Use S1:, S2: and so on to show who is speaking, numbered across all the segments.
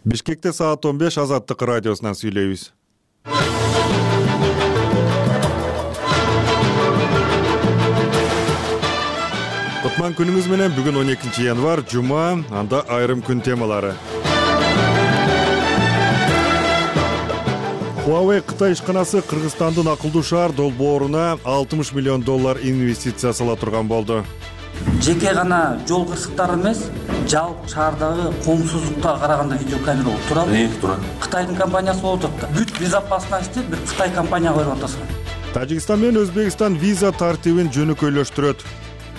S1: Бишкекте саат 15 Азаттык радиосунан сүйлөйбүз. Кутман күнүңүз менен. Бүгүн 12 январ, жума, анда айрым күн темалары. Huawei Кытай ишканасы Кыргызстандын акылдуу шаар долбооруна $60 миллион инвестиция сала турган болду.
S2: Жеке гана жол кырсыктары эмес, жалпы шаардагы коомсуздукка караганда видеокамера болуп турабы?
S3: Турат.
S2: Кытайдын компаниясы болуп атат да. Бүт безопасностьты бир Кытай компанияга берип атасың.
S1: Тажикстан менен Өзбекстан виза тартибин жөнөкөйлөштүрөт.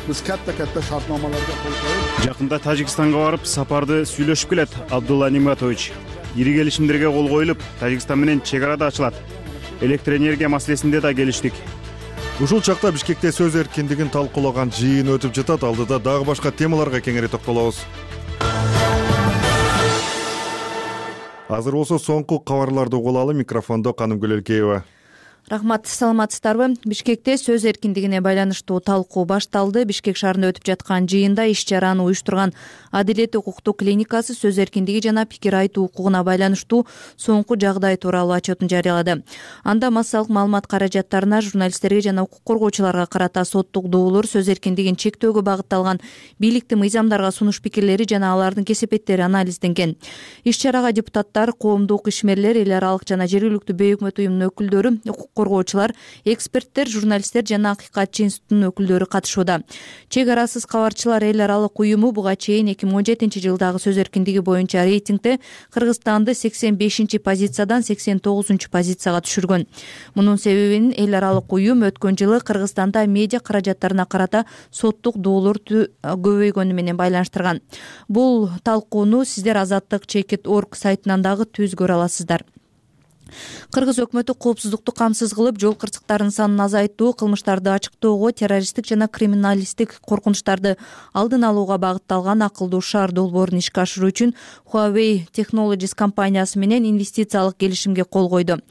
S4: Биз катта шартномаларга кол коюп,
S5: Жакында Тажикстанга барып, сапарды сүйлөшүп келет Абдулла Ниматович. Ири келишимдерге кол коюлуп, Тажикстан менен чек ара да ачылат. Электр энергия маселесинде да келиштик.
S1: Ушул чакта Бишкекте сөз эркиндигин талкуулаган жыйын өтүп жатат. Алдыда дагы башка темаларга кеңири токтолобуз. Азыр болсо соңку кабарларды угуп алалы. Микрофондо Канымгүл Элкеева.
S6: Рахмат, саламатсыздарбы? Бишкекте сөз эркиндигине байланыштуу талкуу башталды. Бишкек шаарында өтүп жаткан жыйында иш-чараны уюштурган Адилет укуктуу клиникасы сөз эркиндиги жана пикир айтуу укугуна байланыштуу соңку жагдай тууралуу отчетун жарыялады. Анда массалык маалымат каражаттарына, журналисттерге жана укук коргоочуларга карата соттук доолор, сөз эркиндигин чектөөгө багытталган бийликтин мыйзамдарга сунуш пикирлери жана алардын кесепеттери анализденген. Иш-чарага депутаттар, коомдук ишмерлер, эл аралык жана жергиликтүү бейөкмөт уюмунун өкүлдөрү, укук коргоочулар, эксперттер, журналисттер жана Акыйкатчы институтунун өкүлдөрү катышууда. Чек арасыз кабарчылар эл аралык уюму буга чейин 2017 жылдагы сөз эркиндиги боюнча рейтингде Кыргызстанды 85-позициядан 89-позицияга түшүргөн. Мунун себебин эл аралык уюм өткөн жылы Кыргызстанда медиа каражаттарына карата соттук доолор көбөйгөнү менен байланыштырган. Бул талкууну сиздер Азаттык.org сайтынан дагы түз көрө аласыздар. Кыргыз өкмөтү коопсуздукту камсыз кылып, жол кырсыктарынын санын азайтуу, кылмыштарды ачыктоого, террористтик жана криминалисттик коркунучтарды алдын алууга багытталган акылдуу шаар долбоорун ишке ашыруу үчүн Huawei Technologies компаниясы менен инвестициялык келишимге кол койду.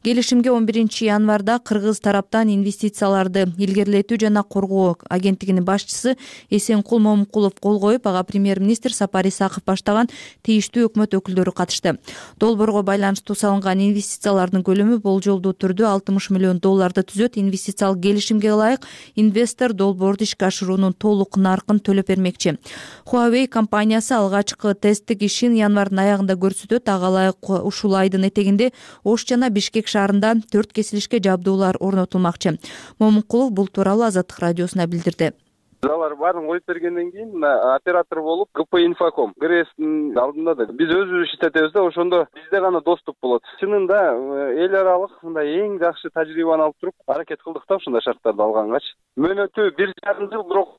S6: Келишимге 11 январда кыргыз тараптан инвестицияларды илгерилетүү жана коргоо агенттигинин башчысы Эсенкул Момункулов кол коюп, ага премьер-министр Сапар Исаков баштаган тийиштүү өкмөт өкүлдөрү катышты. Долбоорго байланыштуу салынган инвестициялардын көлөмү болжолдуу түрдө $60 миллион түзөт. Инвестициялык келишимге ылайык инвестор долбоорду ишке ашыруунун толук наркын төлөп бермекчи. Huawei компаниясы алгачкы тесттик ишин январдын аягында көрсөтөт. Ага ылайык ушул айдын этегинде Ош жана Бишкек шаарында 4 кесилишке жабдуулар орнотулмакчы. Момункулов бул тууралуу Азаттык радиосуна билдирди.
S7: Алар баарын коюп бергенден кийин оператор болуп ГП Инфоком ГРСтин алдында да биз өзүбүз иштетебиз да, ошондо бизде гана доступ болот. Чынында эл аралык мындай эң жакшы тажрыйбаны алып туруп аракет кылдык да ушундай шарттарды алгангачы. Мөөнөтү 1,5 жыл, бирок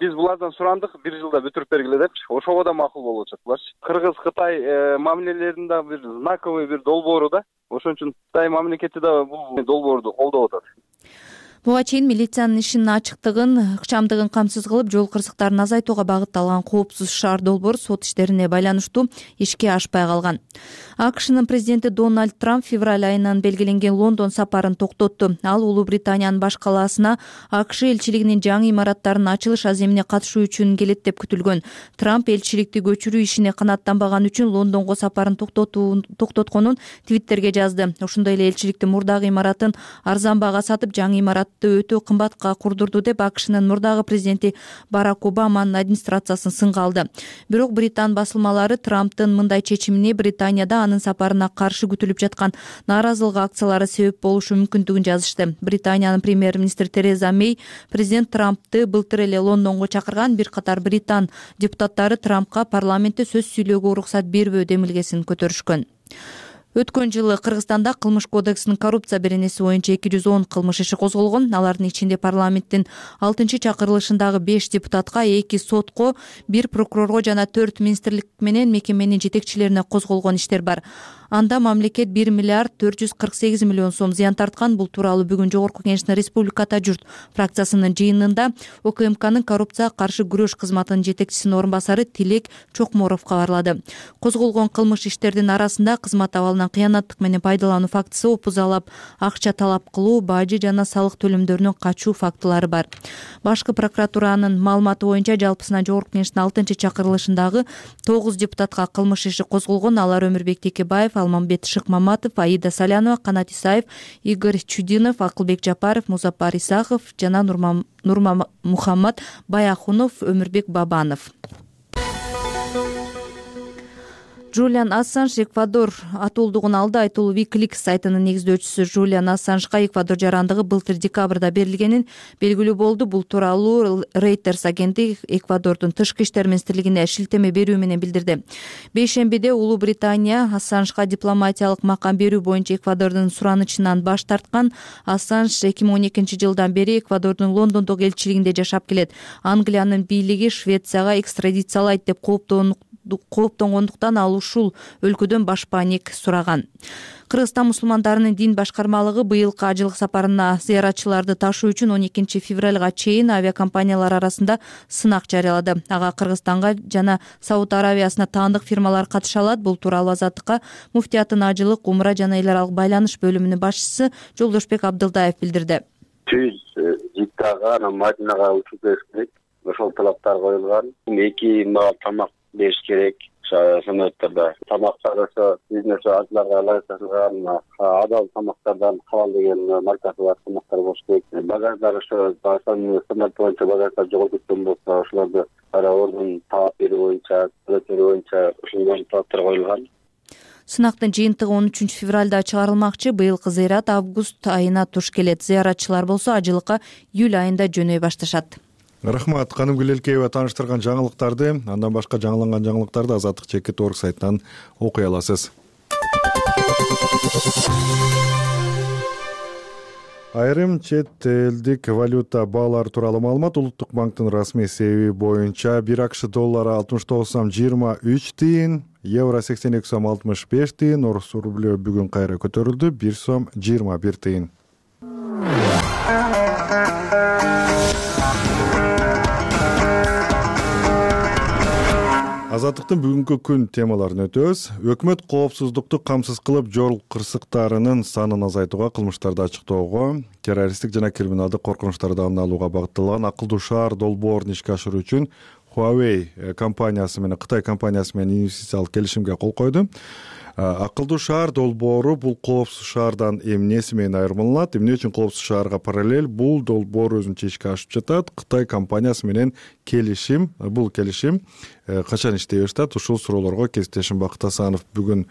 S7: биз булардан сурандык 1 жылда бүтүрүп бергиле депчи. Ошого да макул болуп атат буларчы. Кыргыз-Кытай мамилелеринде бир знаковый бир долбоору да. Ошон үчүн Кытай мамлекети да бул долбоорду колдоп атат.
S6: Буга чейин милициянын ишинин ачыктыгын, ыкчамдыгын камсыз кылып, жол кырсыктарын азайтууга багытталган коопсуз шаар долбоор сот иштерине байланыштуу ишке ашпай калган. АКШнын президенти Дональд Трамп февраль айынан белгиленген Лондон сапарын токтотту. Ал Улуу Британиянын баш калаасына АКШ элчилигинин жаңы имараттарынын ачылыш аземине катышуу үчүн келет деп күтүлгөн. Трамп элчиликти көчүрүү ишине канааттанбаган үчүн Лондонго сапарын токтотконун Твиттерге жазды. Ошондой эле элчиликтин мурдагы имаратын арзан баага сатып, жаңы имаратты өтө кымбатка курдурду деп АКШнын мурдагы президенти Барак Обаманын администрациясын сынга алды. Бирок Британ басылмалары Трамптын мындай чечимине Британияда анын сапарына каршы күтүлүп жаткан нааразылык акциялары себеп болушу мүмкүндүгүн жазышты. Британиянын премьер-министри Тереза Мей президент Трампты былтыр эле Лондонго чакырган. Бир катар Британ депутаттары Трампка парламентте сөз сүйлөөгө уруксат бербөө демилгесин көтөрүшкөн. Өткөн жылы Кыргызстанда кылмыш кодексинин коррупция беренеси боюнча 210 кылмыш иши козголгон. Алардын ичинде парламенттин 6-чакырылышындагы 5 депутатка, 2 сотко, 1 прокурорго жана 4 министрлик менен мекеменин жетекчилерине козголгон иштер бар. Анда мамлекет 1 миллиард 448 миллион сом зыян тарткан. Бул тууралуу бүгүн Жогорку Кеңештин Республиката журт фракциясынын жыйынында УКМКнын коррупцияга каршы күрөш кызматынын жетекчисинин орун басары Тилек Чокморов кабарлады. Козголгон кылмыш иштердин арасында кызмат абалынан кыянаттык менен пайдалануу фактысы, опузалап акча талап кылуу, бажы жана салык төлөмдөрүнөн качуу фактылары бар. Башкы прокуратуранын маалыматы боюнча жалпысынан Жогорку Кеңештин 6-чакырылышындагы 9 депутатка кылмыш иши козголгон. Алар Өмүрбек Текебаев, Алмамбет Шыкмаматов, Аида Салянова, Канат Исаев, Игорь Чудинов, Акылбек Жапаров, Музаппар Исахов жана Нурмухаммад Баяхунов, Өмүрбек Бабанов. Джулиан Ассанж Эквадор атуулдугун алды. Айтулуу Wikileaks сайтынын негиздөөчүсү Джулиан Ассанжга Эквадор жарандыгы былтыр декабрда берилгенин белгилүү болду. Бул тууралуу Reuters агенти Эквадордун тышкы иштер министрлигине шилтеме берүү менен билдирди. Бейшембиде Улуу Британия Ассанжга дипломатиялык макам берүү боюнча Эквадордун суранычынан баш тарткан. Ассанж 2012-жылдан бери Эквадордун Лондондогу элчилигинде жашап келет. Англиянын бийлиги Швецияга экстрадициялайт деп кооптонгондуктан ал ушул өлкөдөн башпаник сураган. Кыргызстан мусулмандарынын дин башкармалыгы быйылкы ажылык сапарына зыяратчыларды ташуу үчүн 12 февралга чейин авиакомпаниялар арасында сынак жарыялады. Ага Кыргызстанга жана Сауд Аравиясына таандык фирмалар катыша алат. Бул тууралуу Азаттыкка муфтияттын ажылык, умра жана эл аралык байланыш бөлүмүнүн башчысы Жолдошбек Абдылдаев билдирди.
S3: Жиддага, Мадинага учуп бериш керек. Ошол талаптар коюлган. 2 маал тамак бериш керек. Самолеттерде тамактар ошо бизнес ажыларга ылайыкталган адал тамактардан халал деген маркасы бар тамактар болуш керек. Багаждар ошо стандарт боюнча багаждар жоготуп болсо ошолорду ордун таап берүү боюнча, ошондой талаптар коюлган.
S6: Сынактын жыйынтыгы 13 февралда чыгарылмакчы. Быйылкы зыярат август айына туш келет. Зыяратчылар болсо ажылыкка июль айында жөнөй башташат.
S1: Рахмат. Канымгүл Элкеева тааныштырган жаңылыктарды, андан башка жаңыланган жаңылыктарды Азаттык Чекит.org сайтынан окуй аласыз. Айрым чет элдик валюта баалары тууралуу маалымат. Улуттук банктын расмий себеби боюнча 1 акш доллары 69 сом 23 тыйын, евро 82 сом 65 тыйын, орус рублю бүгүн кайра көтөрүлдү, 1 сом 21 тыйын. Азаттыктын бүгүнкү күн темаларын өтөбүз. Өкмөт коопсуздукту камсыз кылып, жол кырсыктарынын санын азайтууга, кылмыштарды ачыктоого, террористтик жана криминалдык коркунучтарды алдын алууга багытталган акылдуу шаар долбоорун ишке ашыруу үчүн Huawei компаниясы менен Кытай компаниясы менен инвестициялык келишимге кол койду. Акылдуу шаар долбоору бул коопсуз шаардан эмнеси менен айырмаланат? Эмне үчүн коопсуз шаарга параллель бул долбоор өзүнчө ишке ашып жатат? Кытай компаниясы менен бул келишим качан иштей баштайт? Ушул суроолорго кесиптешим Бакыт Асанов бүгүн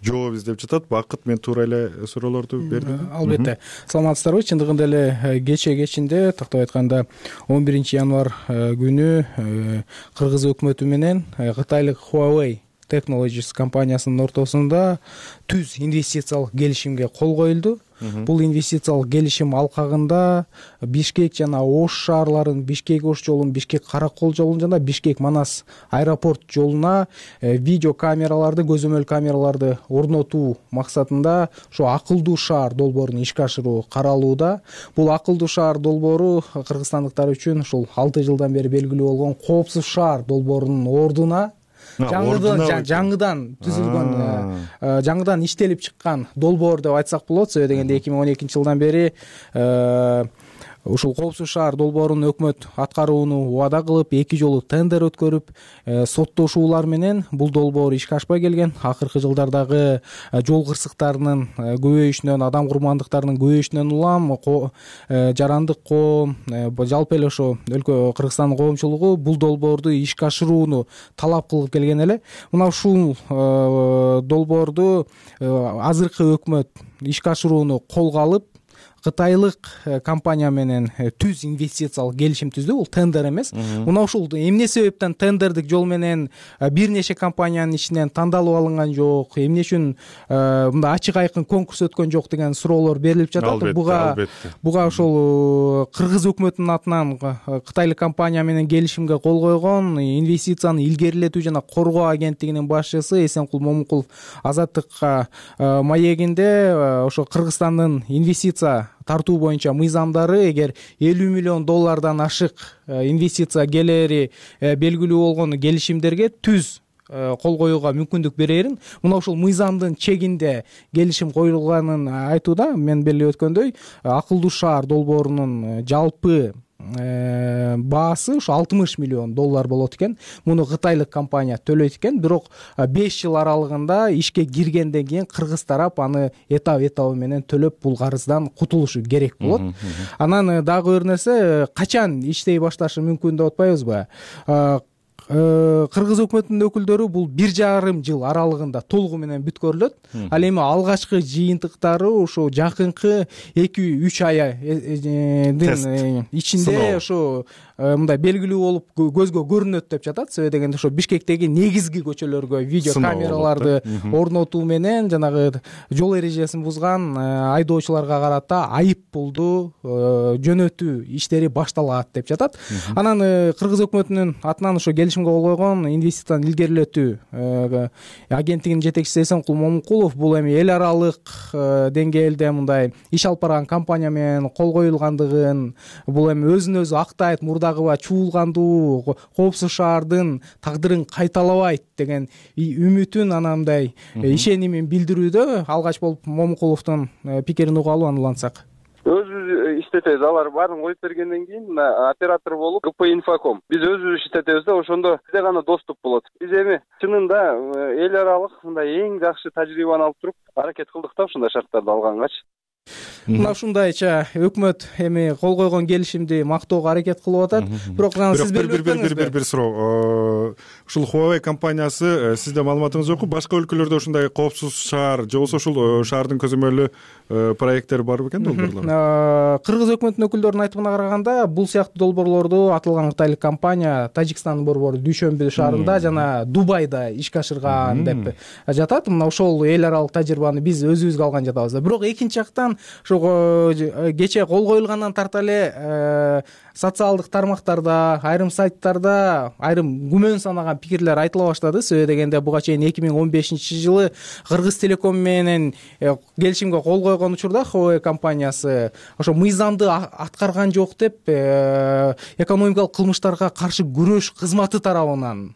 S1: жооп издеп жатат. Бакыт, мен туура эле суроолорду бердим.
S8: Албетте. Саламатсыздарбы? Чындыгында эле кечинде, тактап айтканда 11 январь күнү Кыргыз өкмөтү менен Кытайлык Huawei Technologies компаниясынын ортосунда түз инвестициялык келишимге кол коюлду. Бул инвестициялык келишим алкагында Бишкек жана Ош шаарларын, Бишкек-Ош жолун, Бишкек-Каракол жолун жана Бишкек-Манас аэропорт жолуна видео камераларды, көзөмөл камераларды орнотуу максатында ошо акылдуу шаар долбоорун ишке ашыруу каралууда. Бул акылдуу шаар долбоору кыргызстандыктар үчүн ушул 6 жылдан бери белгилүү болгон коопсуз шаар долбоорунун ордуна жаңыдан түзүлгөн, жаңыдан иштелип чыккан долбоор деп айтсак болот. Себеби дегенде 2012-жылдан бери ушул коопсуз шаар долбоорун өкмөт аткарууну убада кылып, 2 жолу тендер өткөрүп, соттошуулар менен бул долбоор ишке ашпай келген. Акыркы жылдардагы жол кырсыктарынын көбөйүшүнөн, адам курмандыктарынын көбөйүшүнөн улам жарандык коом, жалпы эле ошо өлкө Кыргызстандын коомчулугу бул долбоорду ишке ашырууну талап кылып келген эле. Мына ушул долбоорду азыркы өкмөт ишке ашырууну колго алып, кытайлык компания менен түз инвестициялык келишим түздү. Бул тендер эмес. Мына ушул эмне себептен тендердик жол менен бир нече компаниянын ичинен тандалып алынган жок, эмне үчүн мындай ачык айкын конкурс өткөн жок деген суроолор берилип жатат. Буга ошол кыргыз өкмөтүнүн атынан кытайлык компания менен келишимге кол койгон инвестицияны илгерилетүү жана коргоо агенттигинин башчысы Эсенкул Момункулов Азаттыкка маегинде ошо Кыргызстандын инвестиция тартуу боюнча мыйзамдары эгер $50 миллион ашык инвестиция келери белгилүү болгон келишимдерге түз кол коюуга мүмкүндүк берерин, мына ушул мыйзамдын чегинде келишим коюлганын айтууда. Мен белгилеп өткөндөй, акылдуу шаар долбоорунун жалпы баасы ушу $60 миллион болот экен. Муну кытайлык компания төлөйт экен, бирок 5 жыл аралыгында ишке киргенден кийин кыргыз тарап аны этап менен төлөп бул карыздан кутулушу керек болот. Анан дагы бир нерсе, качан иштей башташы мүмкүн деп атпайбызбы? Кыргыз өкмөтүнүн өкүлдөрү бул 1,5 жыл аралыгында толугу менен бүткөрүлөт. Ал эми алгачкы жыйынтыктары ошо жакынкы 2-3 айдын ичинде ошо мындай белгилүү болуп көзгө көрүнөт деп жатат. Себеби дегенде ошо Бишкектеги негизги көчөлөргө видео камераларды орнотуу менен жанагы жол эрежесин бузган айдоочуларга карата айып пулду жөнөтүү иштери башталат деп жатат. Анан кыргыз өкмөтүнүн атынан ошо келишимге кол койгон инвестицияны илгерилетүү агенттигинин жетекчиси Эсенкул Момункулов бул эми эл аралык деңгээлде мындай иш алып барган компания менен кол коюлгандыгын, бул эми өзүн өзү актайт, мурдагыба чуулгандуу коопсуз шаардын тагдырын кайталабайт деген үмүтүн, анан мындай ишенимин билдирүүдө. Алгач болуп Момункуловдун пикирин угалы, аны улантсак.
S7: Өзүбүз иштетебиз. Алар баарын коюп бергенден кийин оператор болуп ГП Инфоком. Биз өзүбүз иштетебиз да, ошондо бизде гана доступ болот. Биз эми чынында эл аралык мындай эң жакшы тажрыйбаны алып туруп аракет кылдык да, ушундай шарттарды алгангачы.
S8: Мына ушундайча өкмөт эми кол койгон келишимди мактоого аракет кылып атат. Бирок сиз
S1: бир суроо. Ушул Huawei компаниясы, сизде маалыматыңыз жокпу? Башка өлкөлөрдө ушундай коопсуз шаар же болбосо ушул шаардын көзөмөлү проекттери бар бекен, долбоорлор?
S8: Кыргыз өкмөтүнүн өкүлдөрүнүн айтымына караганда, бул сыяктуу долбоорлорду аталган кытайлык компания Тажикстандын борбору Дүйшөмбү шаарында жана Дубайда ишке ашырган деп жатат. Мына ошол эл аралык тажрыйбаны биз өзүбүзгө алган жатабыз. Бирок экинчи жактан кече кол коюлгандан тарта эле социалдык тармактарда, айрым сайттарда айрым күмөн санаган пикирлер айтыла баштады. Себеби дегенде буга чейин 2015-жылы Кыргыз Телеком менен келишимге кол койгон учурда Huawei компаниясы ошо мыйзамды аткарган жок деп экономикалык кылмыштарга каршы күрөш кызматы тарабынан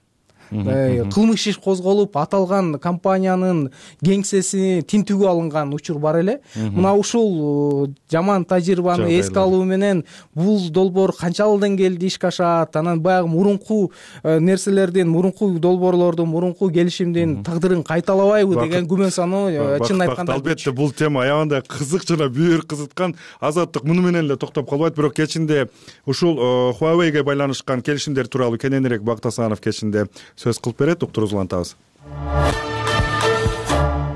S8: кылмыш иш козголуп, аталган компаниянын кеңсеси тинтүүгө алынган учур бар эле. Мына ушул жаман тажрыйбаны эске алуу менен бул долбоор канчалык деңгээлде ишке ашат, анан баягы мурунку нерселердин, мурунку долбоорлордун, мурунку келишимдин тагдырын кайталабайбы деген күмөн саноо чынын айтканда.
S1: Албетте бул тема аябандай кызык жана бүйүр кызыткан. Азаттык муну менен эле токтоп калбайт, бирок кечинде ушул Huawei'ге байланышкан келишимдер тууралуу кененирээк Бакыт Асанов кечинде сөз кылып берет. Уктуруңузду улантабыз.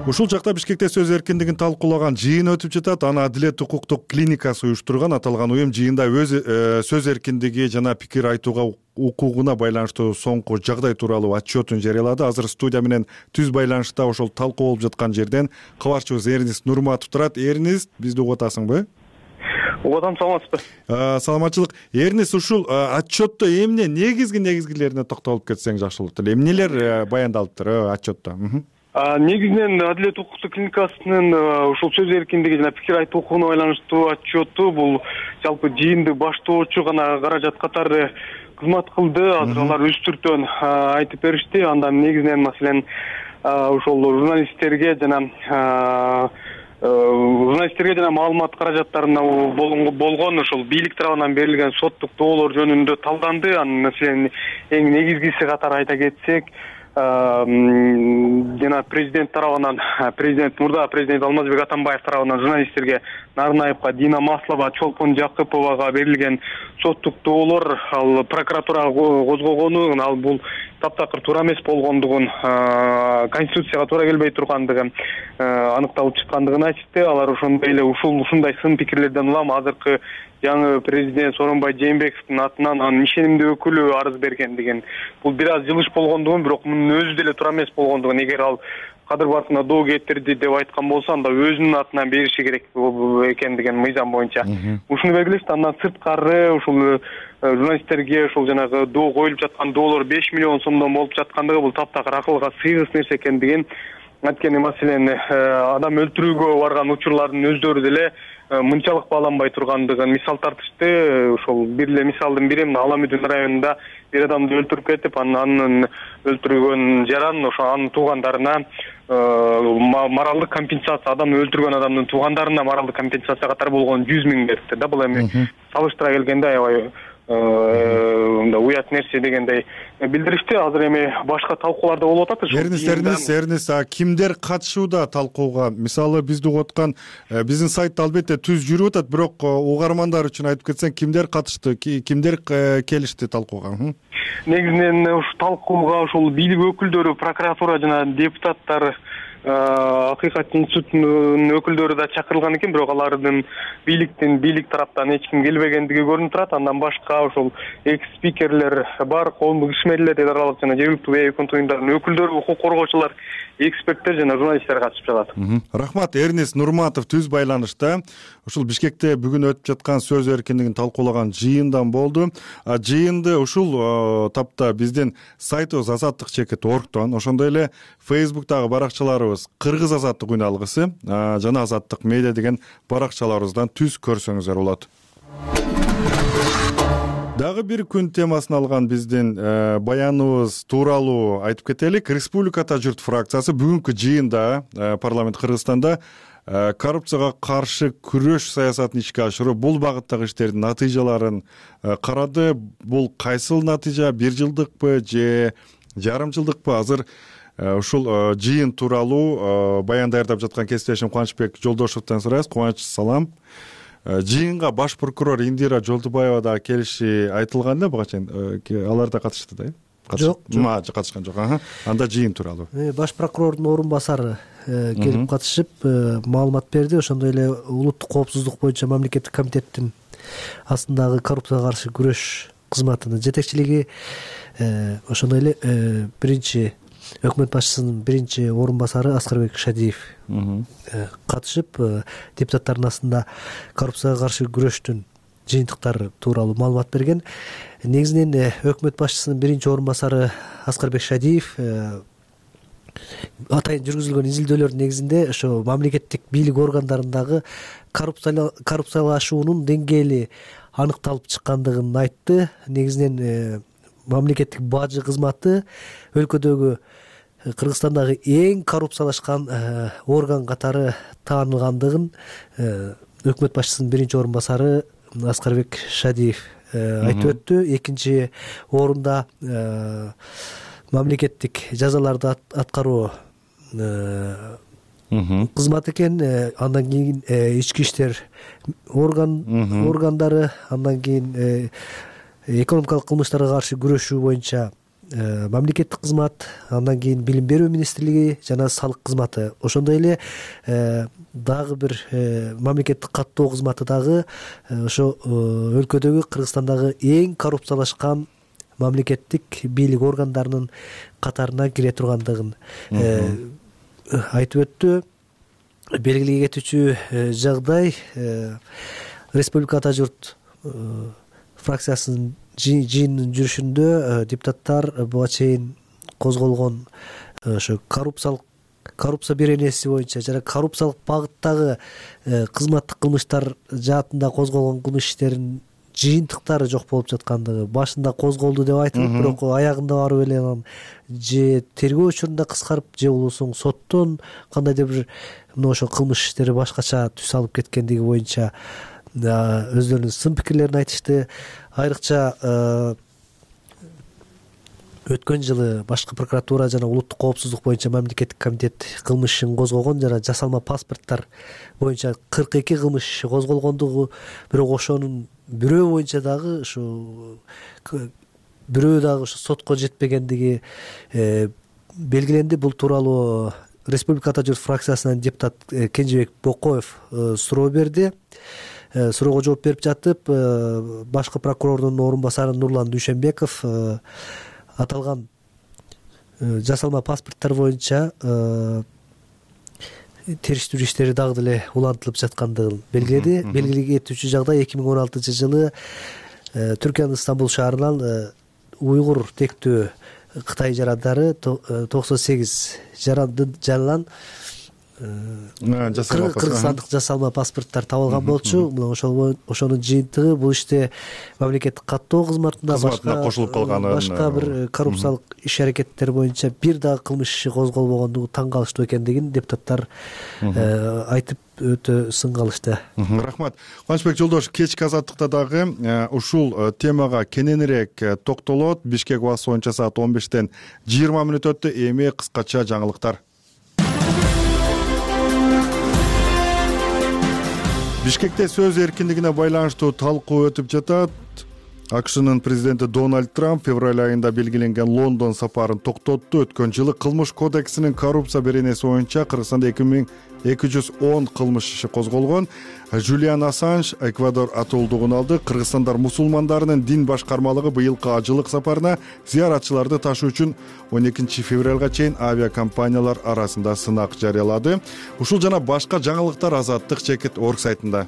S1: Ушул жакта Бишкекте сөз эркиндигин талкуулаган жыйын өтүп жатат. Аны Адилет укуктук клиникасы уюштурган. Аталган уюм жыйында өз сөз эркиндиги жана пикир айтууга укугуна байланыштуу соңку жагдай тууралуу отчетун жарыялады. Азыр студия менен түз байланышта ошол талкуу болуп жаткан жерден кабарчыбыз Эрнист Нурматов турат. Эрнист, бизди угуп атасыңбы?
S9: Угатам, саламатсызбы?
S1: Саламатчылык. Эрнист, ушул отчетто эмне негизгилерине токтолуп кетсең жакшы болот эле. Эмнелер баяндалыптыр отчетто?
S9: Негизинен Адилет укуктук клиникасынын ушул сөз эркиндиги жана пикир айтуу укугуна байланыштуу отчету бул жалпы жыйынды баштоочу гана каражат катары кызмат кылды. Азыр алар өз түртөн айтып беришти. Андан негизинен маселен ошол журналисттерге жана маалымат каражаттарына болгон ошол бийлик тарабынан берилген соттук доолор жөнүндө талданды. Анын маселен эң негизгиси катары айта кетсек, жана президент тарабынан, мурда президент Алмазбек Атамбаев тарабынан журналисттерге Нарынаевга, Дина Маслова, Чолпон Жакыповага берилген соттук доолор, ал прокуратурага козгогону, ал бул таптакыр туура эмес болгондугун, конституцияга туура келбей тургандыгы аныкталып чыккандыгын айтышты. Алар ошондой эле ушундай сын пикирлерден улам азыркы жаңы президент Сооронбай Жээнбековдун атынан анын ишенимдүү өкүлү арыз берген деген. Бул бир аз жылыш болгондугун, бирок мунун өзү деле туура эмес болгондугун, эгер ал кадыр баркына доо кетирди деп айткан болсо, анда өзүнүн атынан бериши керек экен деген мыйзам боюнча ушуну белгилешти. Андан сырткары ушул журналисттерге ушул жанагы доо коюлуп жаткан доолор 5 миллион сомдон болуп жаткандыгы бул таптакыр акылга сыйгыс нерсе экендигин анткени, маселен адам өлтүрүүгө барган учурлардын өздөрү деле мынчалык бааланбай тургандыгын мисал тартышты. Ошол бир эле мисалдын бири мына Аламүдүн районунда бир адамды өлтүрүп кетип, анын өлтүргөн жаранын ошо анын туугандарына моралдык компенсация, адам өлтүргөн адамдын туугандарына моралдык компенсация катары болгон 100 000 берипти да. Бул эми салыштыра келгенде аябай мындай уят нерсе дегендей билдиришти. Азыр эми башка талкуулар да болуп атат.
S1: Эрнис, кимдер катышууда талкууга? Мисалы бизди угуп аткан биздин сайтта албетте түз жүрүп атат, бирок угармандар үчүн айтып кетсең, кимдер катышты, кимдер келишти талкууга?
S9: Негизинен ушу талкууга ушул бийлик өкүлдөрү, прокуратура жана депутаттар, Акыйкат институтунун өкүлдөрү да чакырылган экен, бирок алардын бийлик тараптан эч ким келбегендиги көрүнүп турат. Андан башка ошол экс-спикерлер бар, коомдук ишмерлер, эл аралык жана жергиликтүү бейөкмөт уюмдардын өкүлдөрү, укук коргоочулар, эксперттер жана журналисттер катышып жатат.
S1: Рахмат. Эрнис Нурматов түз байланышта. Ушул Бишкекте бүгүн өтүп жаткан сөз эркиндигин талкуулаган жыйындан болду. Жыйынды ушул тапта биздин сайтыбыз azatlyk.org ошондой эле Facebook'тагы баракчаларыбыз Кыргыз азаттык үналгысы жана Азаттык медиа деген баракчаларыбыздан түз көрсөңүздөр болот. Дагы бир күн темасын алган биздин баяныбыз тууралуу айтып кетелик. Республиката журт фракциясы бүгүнкү жыйында парламент Кыргызстанда коррупцияга каршы күрөш саясатын ишке ашыруу, бул багыттагы иштердин натыйжаларын карады. Бул кайсыл натыйжа, 1 жылдыкпы же жарым жылдыкпы? Азыр ушул жыйын тууралуу баян даярдап жаткан кесиптешим Кубанычбек Жолдошовдон сурайбыз. Кубаныч, салам. Жыйынга баш прокурор Индира Жолдубаева да келиши айтылган да, буга чейин алар да катышты да?
S10: Жок,
S1: катышкан жок. Анда жыйын тууралуу
S10: баш прокурордун орун басары келип катышып маалымат берди. Ошондой эле улуттук коопсуздук боюнча мамлекеттик комитеттин астындагы коррупцияга каршы күрөш кызматынын жетекчилиги, ошондой эле биринчи өкмөт башчысынын биринчи орун басары Аскарбек Шадиев катышып депутаттардын астында коррупцияга каршы күрөштүн жыйынтыктары тууралуу маалымат берген. Негизинен өкмөт башчысынын биринчи орун басары Аскарбек Шадиев атайын жүргүзүлгөн изилдөөлөрдүн негизинде ошо мамлекеттик бийлик органдарындагы коррупциялашуунун деңгээли аныкталып чыккандыгын айтты. Негизинен мамлекеттик бажы кызматы өлкөдөгү Кыргызстандагы эң коррупциялашкан орган катары таанылгандыгын өкмөт башчысынын биринчи орун басары Аскарбек Шадиев айтып өттү. Экинчи орунда мамлекеттик жазаларды аткаруу кызмат экен. Андан кийин ички иштер органдары, андан кийин экономикалык кылмыштарга каршы күрөшүү боюнча мамлекеттик кызмат, андан кийин билим берүү министрлиги жана салык кызматы. Ошондой эле дагы бир мамлекеттик каттоо кызматы дагы ошо өлкөдөгү Кыргызстандагы эң коррупциялашкан мамлекеттик бийлик органдарынын катарына кире тургандыгын айтып өттү. Белгилей кетүүчү жагдай, Республиката журт фракциясынын жыйынынын жүрүшүндө депутаттар буга чейин козголгон ошо коррупция беренеси боюнча жана коррупциялык багыттагы кызматтык кылмыштар жаатында козголгон кылмыш иштеринин жыйынтыктары жок болуп жаткандыгы башында козголду деп айтылып, бирок аягында барып эле анан же тергөө учурунда кыскарып, же болбосо соттон кандайдыр бир ошо кылмыш иштери башкача түс алып кеткендиги боюнча өздөрүнүн сын пикирлерин айтышты. Айрыкча өткөн жылы башкы прокуратура жана улуттук коопсуздук боюнча мамлекеттик комитет кылмыш ишин козгогон жана жасалма паспорттор боюнча 42 кылмыш иши козголгондугу, бирок ошонун бирөө боюнча дагы ушу бирөө дагы ушу сотко жетпегендиги белгиленди. Бул тууралуу Республика Ата журт фракциясынан депутат Кенжебек Бокоев суроо берди. Суроого жооп берип жатып, башкы прокурордун орун басары Нурлан Дүйшөнбеков аталган жасалма паспорттор боюнча териштирүү иштери дагы деле улантылып жаткандыгын белгиледи. Белгилей кетүүчү жагдай 2016-жылы Түркиянын Стамбул шаарынан уйгур тектүү Кытай жарандары 98 жарандын жанынан кыргызстандык жасалма паспорттор табылган болчу. Ошонун жыйынтыгы бул иште мамлекеттик каттоо кызматына
S1: кошулуп калганы,
S10: башка бир коррупциялык иш-аракеттер боюнча бир дагы кылмыш иши козголбогондугу таң калыштуу экендигин депутаттар айтып өтө сын калышты.
S1: Рахмат. Кубанычбек Жолдошев кечки азаттыкта дагы ушул темага кененирээк токтолот. Бишкек убакыты боюнча саат 15-тен 20 мүнөт өттү. Эми кыскача жаңылыктар. Бишкекте сөз эркиндигине байланыштуу талкуу өтүп жатат. АКШнын президенти Дональд Трамп февраль айында белгиленген Лондон сапарын токтотту. Өткөн жылы кылмыш кодексинин коррупция беренеси боюнча Кыргызстанда 2210 кылмыш иши козголгон. Жулиан Ассанж Эквадор атуулдугун алды. Кыргызстандар мусулмандарынын дин башкармалыгы быйылкы ажылык сапарына зыяратчыларды ташуу үчүн 12 февралга чейин авиакомпаниялар арасында сынак жарыялады. Ушул жана башка жаңылыктар Азаттык Чекит орг сайтында.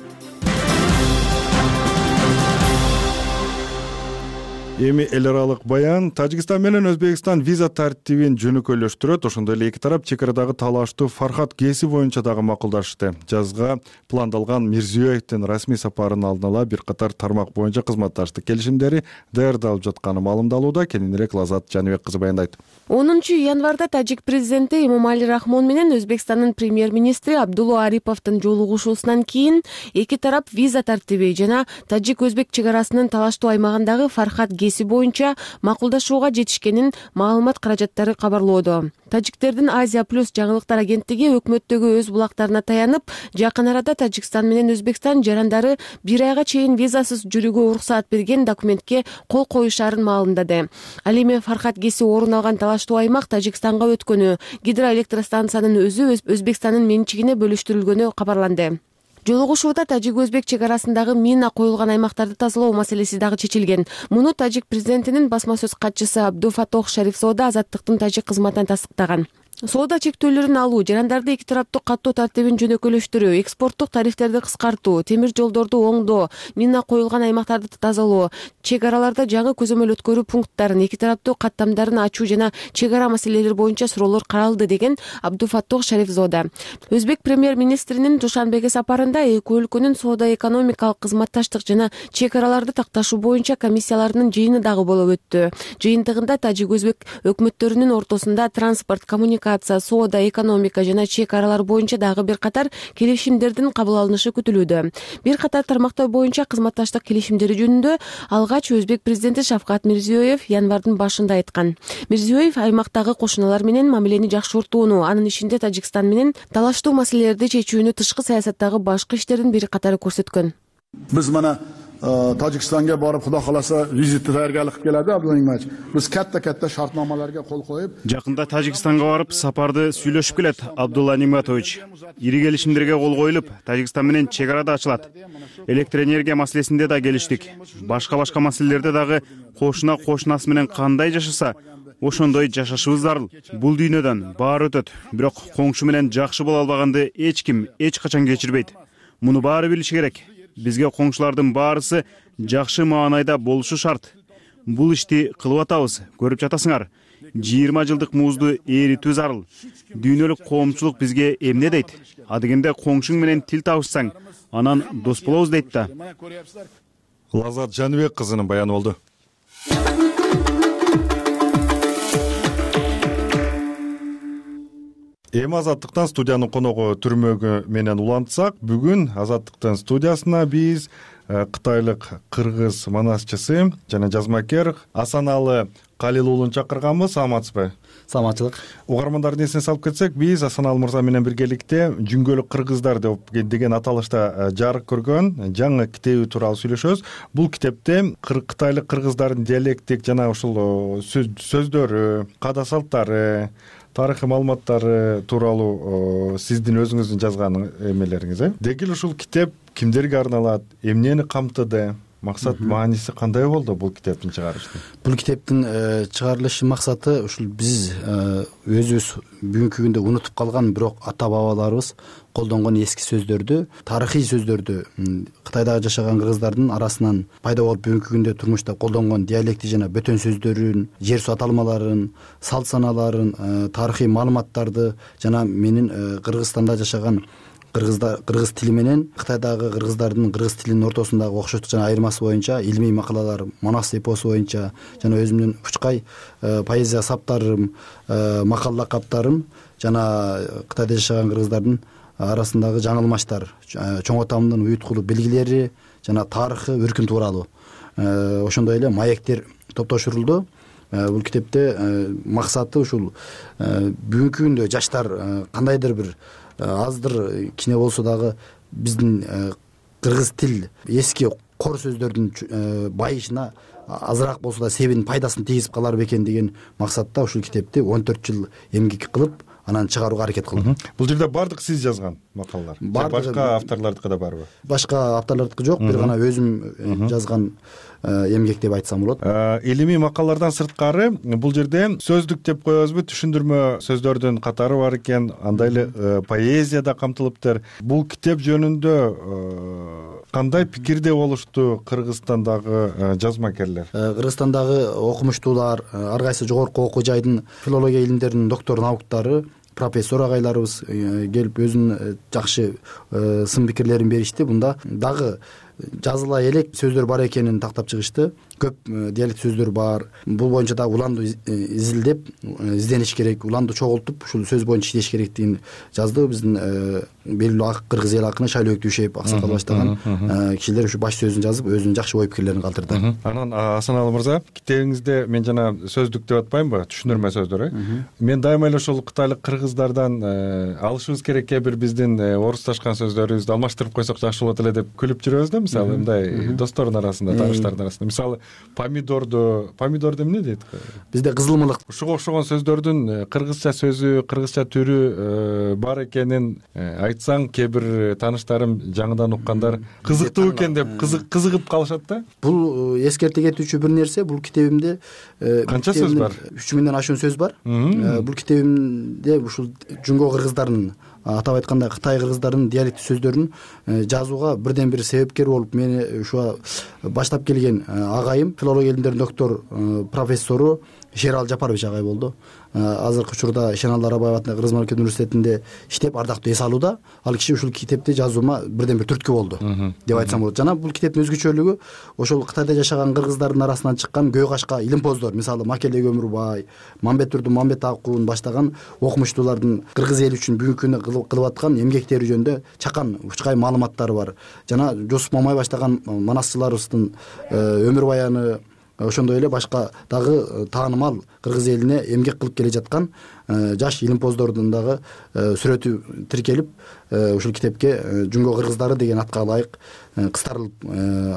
S1: Эми эл аралык баян. Тажикстан менен Өзбекстан виза тартибин жөнөкөйлөштүрөт. Ошондой эле эки тарап чек арадагы талаштуу Фархат Геси боюнча дагы макулдашты. Жазга пландалган Мирзиёевдин расмий сапарынын алдын ала бир катар тармак боюнча кызматташтык келишимдери даярдалып жатканы маалымдалууда. Кененирээк Лазат Жаныбек кызы баяндайт.
S11: 10 январда тажик президенти Эмомали Рахмон менен Өзбекстандын премьер-министри Абдулла Ариповдун жолугушуусунан кийин эки тарап виза тартиби жана тажик-өзбек чек арасынын талаштуу аймагындагы Фархат Геси боюнча макулдашууга жетишкенин маалымат каражаттары кабарлоодо. Тажиктердин Азия плюс жаңылыктар агенттиги өкмөттөгү өз булактарына таянып, жакын арада Тажикстан менен Өзбекстан жарандары бир айга чейин визасыз жүрүүгө уруксаат берген документке кол коюшаарын маалымдады. Ал эми Фархат Геси орун алган талаштуу аймак Тажикстанга өткөнү, гидроэлектростанциянын өзү Өзбекстандын менчигине бөлүштүрүлгөнү кабарланды. Жолугушууда тажик-өзбек чек арасындагы мина коюлган аймактарды тазалоо маселеси дагы чечилген. Муну тажик президентинин басма сөз катчысы Абдуфатох Шарифзода Азаттыктын тажик кызматынан тастыктаган. Соода чектөөлөрүн алуу, жарандарды эки тараптуу каттоо тартибин жөнөкөйлөштүрүү, экспорттук тарифтерди кыскартуу, темир жолдорду оңдоо, мина коюлган аймактарды тазалоо, чек араларда жаңы көзөмөл өткөрүү пункттарын, эки тараптуу каттамдарын ачуу жана чек ара маселелери боюнча суроолор каралды деген Абдуфаттох Шарифзода. Өзбек премьер-министринин Душанбеге сапарында эки өлкөнүн соода-экономикалык кызматташтык жана чек араларды такташуу боюнча комиссияларынын жыйыны дагы болуп өттү. Жыйынтыгында тажик-өзбек өкмөттөрүнүн ортосунда транспорт, коммуникация, соода, экономика жана чек аралар боюнча дагы бир катар келишимдердин кабыл алынышы күтүлүүдө. Бир катар тармактар боюнча кызматташтык келишимдери жөнүндө алгач Өзбек президенти Шавкат Мирзиёев январдын башында айткан. Мирзиёев аймактагы кошуналар менен мамилени жакшыртууну, анын ичинде Тажикстан менен талаштуу маселелерди чечүүнү, тышкы саясаттагы башкы иштердин бир катары көрсөткөн.
S4: Биз мана Tojikistonga borib, xudo xolasa vizitga tayyorgarlik qilib keladi Abdulla Nimatovic. Biz katta shartnomalarga qo'l qo'yib,
S5: жакында Тажикстанга барып, сапарды сүйлөшүп келет Абдулла Ниматович. Ири келишимдерге кол коюлуп, Тажикстан менен чек ара да ачылат. Электр энергия маселесинде да келиштик. Башка маселелерде дагы кошуна кошунасы менен кандай жашаса, ошондой жашашыбыз зарыл. Бул дүйнөдөн баары өтөт. Бирок коңшу менен жакшы боло албаганды эч ким эч качан кечирбейт. Муну баары билиши керек. Бизге коңшулардын баарысы жакшы маанайда болушу шарт. Бул ишти кылып атабыз, көрүп жатасыңар. 20 жылдык музду эритүү зарыл. Дүйнөлүк коомчулук бизге эмне дейт? Адегенде коңшуң менен тил табышсаң, анан дос болобуз дейт да.
S1: Лазат Жаныбек кызынын баяны болду. Эми Азаттыктан студиянын коногу түрмөгү менен улантсак, бүгүн Азаттыктын студиясына биз кытайлык кыргыз манасчысы жана жазмакер Асаналы Калил уулун чакырганбыз. Саламатсызбы?
S12: Саламатчылык.
S1: Угармандардын эсине салып кетсек, биз Асаналы мырза менен биргеликте Жүнгөлүк кыргыздар деген аталышта жарык көргөн жаңы китеби тууралуу сүйлөшөбүз. Бул китепте кытайлык кыргыздардын диалектик жана ушул сөздөрү, каада салттары, тарыхый маалыматтары тууралуу сиздин өзүңүздүн жазган эмелериңиз. Деги эле ушул китеп кимдерге арналат, эмнени камтыды, максат мааниси кандай болду бул китептин чыгарыштын?
S12: Бул китептин чыгарылыш максаты ушул биз өзүбүз бүгүнкү күндө унутуп калган, бирок ата бабаларыбыз колдонгон эски сөздөрдү, тарыхый сөздөрдү Кытайдагы жашаган кыргыздардын арасынан пайда болуп бүгүнкү күндө турмушта колдонгон диалектик жана бөтөн сөздөрүн, жер суу аталмаларын, салт санааларын, тарыхый маалыматтарды жана менин Кыргызстанда жашаган кыргыз тили менен Кытайдагы кыргыздардын кыргыз тилинин ортосундагы окшоштук жана айырмасы боюнча илимий макалалар, Манас эпосу боюнча жана өзүмдүн учкай поэзия саптарым, макал лакаптарым жана Кытайда жашаган кыргыздардын арасындагы жаңылмаштар, чоң атамдын уюткулу белгилери жана тарыхы, өркүн тууралуу ошондой эле маектер топтошурулду. Бул китепте максаты ушул бүгүнкү күндө жаштар кандайдыр бир аздыр кичине болсо дагы биздин кыргыз тил эски кор сөздөрдүн байышына азыраак болсо да себин пайдасын тийгизип калар бекен деген максатта ушул китепти 14 жыл эмгек кылып анан чыгарууга аракет кылдым.
S1: Бул жерде бардык сиз жазган макалалар? Башка авторлордуку да барбы?
S12: Башка авторлордуку жок, бир гана өзүм жазган эмгек деп айтсам болот.
S1: Илимий макалалардан сырткары бул жерде сөздүк деп коебузбу, түшүндүрмө сөздөрдүн катары бар экен, андай эле поэзия да камтылыптыр. Бул китеп жөнүндө кандай пикирде болушту Кыргызстандагы жазмакерлер?
S12: Кыргызстандагы окумуштуулар, ар кайсы жогорку окуу жайдын филология илимдеринин доктор науктары, профессор агайларыбыз келип өзүнүн жакшы сын пикирлерин беришти. Бунда дагы жазыла элек сөздөр бар экенин тактап чыгышты. Көп диалект сөздөр бар. Бул боюнча да уланду изилдеп, издениш керек, уланду чогултуп, ушул сөз боюнча иштеш керектигин жазды. Биздин белгилүү ак кыргыз эл акыны Шайлообек Дүйшеев аксакал баштаган кишилер ушу баш сөзүн жазып, өзүнүн жакшы ой пикирлерин калтырды.
S1: Анан Асаналы мырза, китебиңизде мен жана сөздүк деп атпаймынбы, түшүндүрмө сөздөр, мен дайыма эле ошол кытайлык кыргыздардан алышыбыз керек кээ бир биздин орусташкан сөздөрүбүздү алмаштырып койсок жакшы болот эле деп күлүп жүрөбүз да, мисалы мындай достордун арасында, тааныштардын арасында. Мисалы помидор эмне дейт?
S12: Бизде кызылмылык.
S1: Ушуга окшогон сөздөрдүн кыргызча сөзү, кыргызча түрү бар экенин айтсаң, кээ бир тааныштарым жаңыдан уккандар кызыктуу экен деп кызыгып калышат да.
S12: Бул эскерте кетүүчү бир нерсе. Бул китебимде
S1: канча сөз бар?
S12: 3000ден ашуун сөз бар. Бул китебимде ушул Жүнгө кыргыздарынын, атап айтканда Кытай кыргыздарынын диалектик сөздөрүн жазууга бирден бир себепкер болуп мени ушуга баштап келген агайым, филология илимдеринин доктор профессору Шерал Жапарович агай болду. Азыркы учурда Шенал Арабаев атындагы Кыргыз мамлекеттик университетинде иштеп, ардактуу эс алууда. Ал киши ушул китепти жазуума бирден бир түрткү болду деп айтсам болот. Жана бул китептин өзгөчөлүгү ошол Кытайда жашаган кыргыздардын арасынан чыккан көө кашка илимпоздор, мисалы Макеле Өмүрбай, Мамбетурдун Мамбет Акуун баштаган окумуштуулардын кыргыз эли үчүн бүгүнкү күндө кылып аткан эмгектери жөнүндө чакан учкай маалыматтары бар. Жана Жусуп Мамай баштаган манасчыларыбыздын өмүр баяны, ошондой эле башка дагы таанымал кыргыз элине эмгек кылып келе жаткан жаш илимпоздордун дагы сүрөтү тиркелип, ушул китепке Жүнгө кыргыздары деген атка ылайык кыстарылып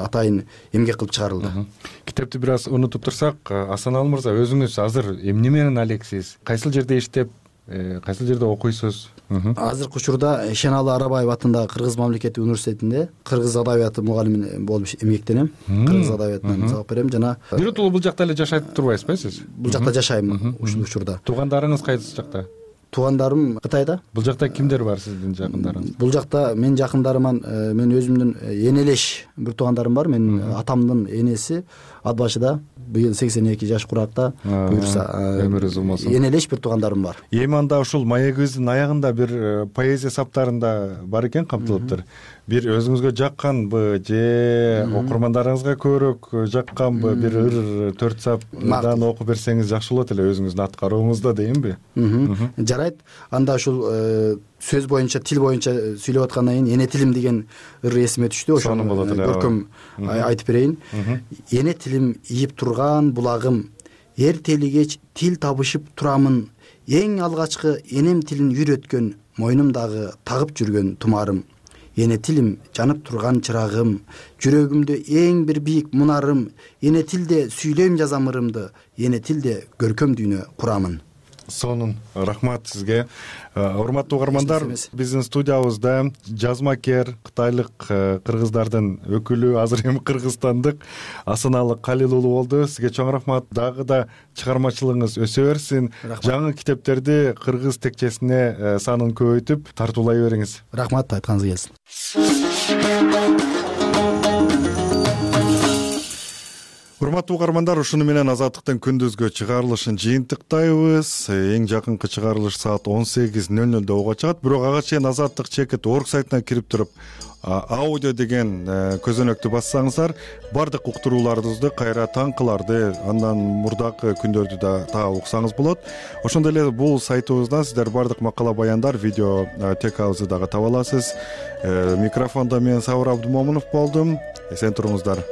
S12: атайын эмгек кылып чыгарылды.
S1: Китепти бир аз унутуп турсак, Асаналы мырза, өзүңүз азыр эмне менен алексиз? Кайсыл жерде иштеп, кайсыл жерде окуйсуз?
S12: Азыркы учурда Шенал Арабаев атындагы Кыргыз мамлекеттик университетинде кыргыз адабияты мугалими болуп эмгектенем. Кыргыз адабиятынан сабак берем жана
S1: биротоло бул жакта эле жашайт турбайсызбы сиз?
S12: Бул жакта жашайм ушул учурда.
S1: Туугандарыңыз кайсы жакта?
S12: Туугандарым Кытайда.
S1: Бул жакта кимдер бар сиздин жакындарыңыз?
S12: Бул жакта мен жакындарыман мен өзүмдүн энелеш бир туугандарым бар. Менин атамдын энеси Атбашыда быйыл 82 жаш куракта, буюрса
S1: өмүрү узун болсун.
S12: Энелеш бир туугандарым бар.
S1: Эми анда ушул маегибиздин аягында бир поэзия саптарында бар экен, камтылыптыр. Бир өзүңүзгө жакканбы же окурмандарыңызга көбүрөөк жакканбы бир ыр 4 саптан окуп берсеңиз жакшы болот эле өзүңүздүн аткарууңузда, деймби?
S12: Жарайт. Анда ушул сөз боюнча, тил боюнча сүйлөп аткандан кийин эне тилим деген ыр эсиме түштү. Ошону көркөм айтып берейин. Эне тилим ийип турган булагым, эртелигеч тил табышып турамын. Эң алгачкы энем тилин үйрөткөн, мойнумдагы тагып жүргөн тумарым. Эне тилим жанып турган чырагым, жүрөгүмдө эң бир бийик мунарым. Эне тилде сүйлөйм жазам ырымды, эне тилде көркөм дүйнө курамын.
S1: Сонун рахмат сизге. Урматтуу угармандар, биздин студиябызда жазмакер кытайлык кыргыздардын өкүлү, азыр эми кыргызстандык Асаналы Калил уулу болду. Сизге чоң рахмат. Дагы да чыгармачылыгыңыз өсө берсин. Жаңы китептерди кыргыз текчесине санын көбөйтүп тартуулай бериңиз.
S12: Рахмат, айтканыңыз келсин.
S1: Урматтуу угармандар, ушуну менен Азаттыктын күндүзгү чыгарылышын жыйынтыктайбыз. Эң жакынкы чыгарылыш саат 18:00 ого чыгат. Бирок ага чейин Азаттык чекит орг сайтына кирип туруп аудио деген көзөнөктү бассаңыздар, бардык уктурууларыбызды, кайра таңкыларды, андан мурдакы күндөрдү да таап уксаңыз болот. Ошондой эле бул сайтыбыздан сиздер бардык макала баяндар, видео текабызды дагы таба аласыз. Микрофондо мен Сабыр Абдумомунов болдум. Эсен туруңуздар.